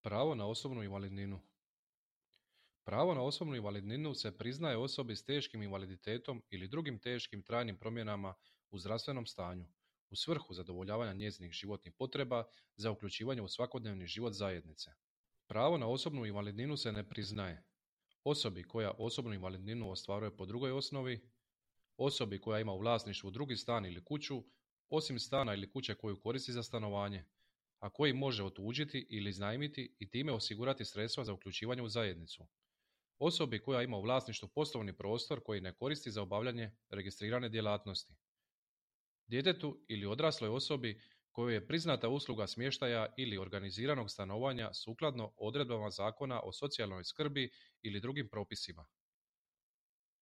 Pravo na osobnu invalidninu. Pravo na osobnu invalidninu se priznaje osobi s teškim invaliditetom ili drugim teškim trajnim promjenama u zdravstvenom stanju, u svrhu zadovoljavanja njezinih životnih potreba za uključivanje u svakodnevni život zajednice. Pravo na osobnu invalidninu se ne priznaje osobi koja osobnu invalidninu ostvaruje po drugoj osnovi, osobi koja ima u vlasništvu drugi stan ili kuću, osim stana ili kuće koju koristi za stanovanje, a koji može otuđiti ili iznajmiti i time osigurati sredstva za uključivanje u zajednicu. Osobi koja ima u vlasništvu poslovni prostor koji ne koristi za obavljanje registrirane djelatnosti. Djetetu ili odrasloj osobi kojoj je priznata usluga smještaja ili organiziranog stanovanja sukladno odredbama Zakona o socijalnoj skrbi ili drugim propisima.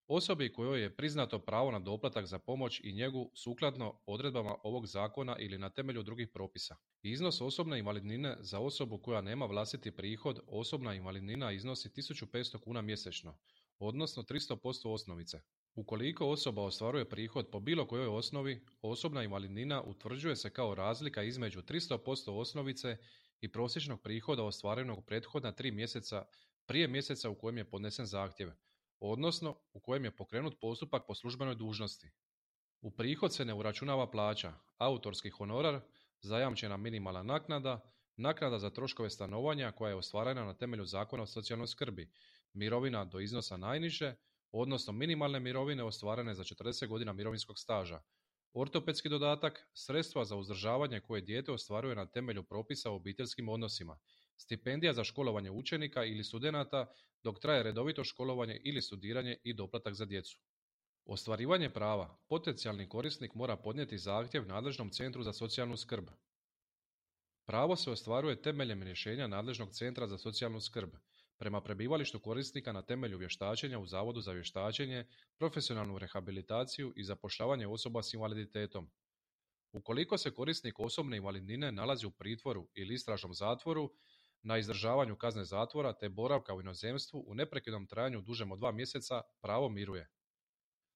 Osobi kojoj je priznato pravo na doplatak za pomoć i njegu sukladno odredbama ovog zakona ili na temelju drugih propisa. Iznos osobne invalidnine za osobu koja nema vlastiti prihod, osobna invalidnina iznosi 1500 kuna mjesečno, odnosno 300% osnovice. Ukoliko osoba ostvaruje prihod po bilo kojoj osnovi, osobna invalidnina utvrđuje se kao razlika između 300% osnovice i prosječnog prihoda ostvarenog prethodna 3 mjeseca prije mjeseca u kojem je podnesen zahtjev, odnosno u kojem je pokrenut postupak po službenoj dužnosti. U prihod se ne uračunava plaća, autorski honorar, zajamčena minimalna naknada, naknada za troškove stanovanja koja je ostvarena na temelju Zakona o socijalnoj skrbi, mirovina do iznosa najniže, odnosno minimalne mirovine ostvarene za 40 godina mirovinskog staža, ortopedski dodatak, sredstva za uzdržavanje koje dijete ostvaruje na temelju propisa o obiteljskim odnosima, stipendija za školovanje učenika ili studenata dok traje redovito školovanje ili studiranje i doplatak za djecu. Ostvarivanje prava potencijalni korisnik mora podnijeti zahtjev nadležnom centru za socijalnu skrb. Pravo se ostvaruje temeljem rješenja nadležnog centra za socijalnu skrb, prema prebivalištu korisnika na temelju vještačenja u Zavodu za vještačenje, profesionalnu rehabilitaciju i zapošljavanje osoba s invaliditetom. Ukoliko se korisnik osobne invalidnine nalazi u pritvoru ili istražnom zatvoru, na izdržavanju kazne zatvora te boravka u inozemstvu u neprekidnom trajanju dužem od 2 mjeseca, pravo miruje.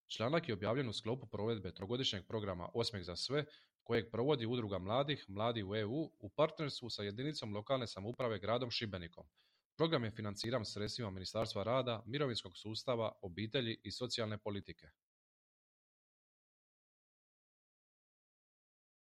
Članak je objavljen u sklopu provedbe trogodišnjeg programa Osmijeh za sve, kojeg provodi Udruga mladih, Mladi u EU, u partnerstvu sa jedinicom lokalne samouprave gradom Šibenikom. Program je financiran sredstvima Ministarstva rada, mirovinskog sustava, obitelji i socijalne politike.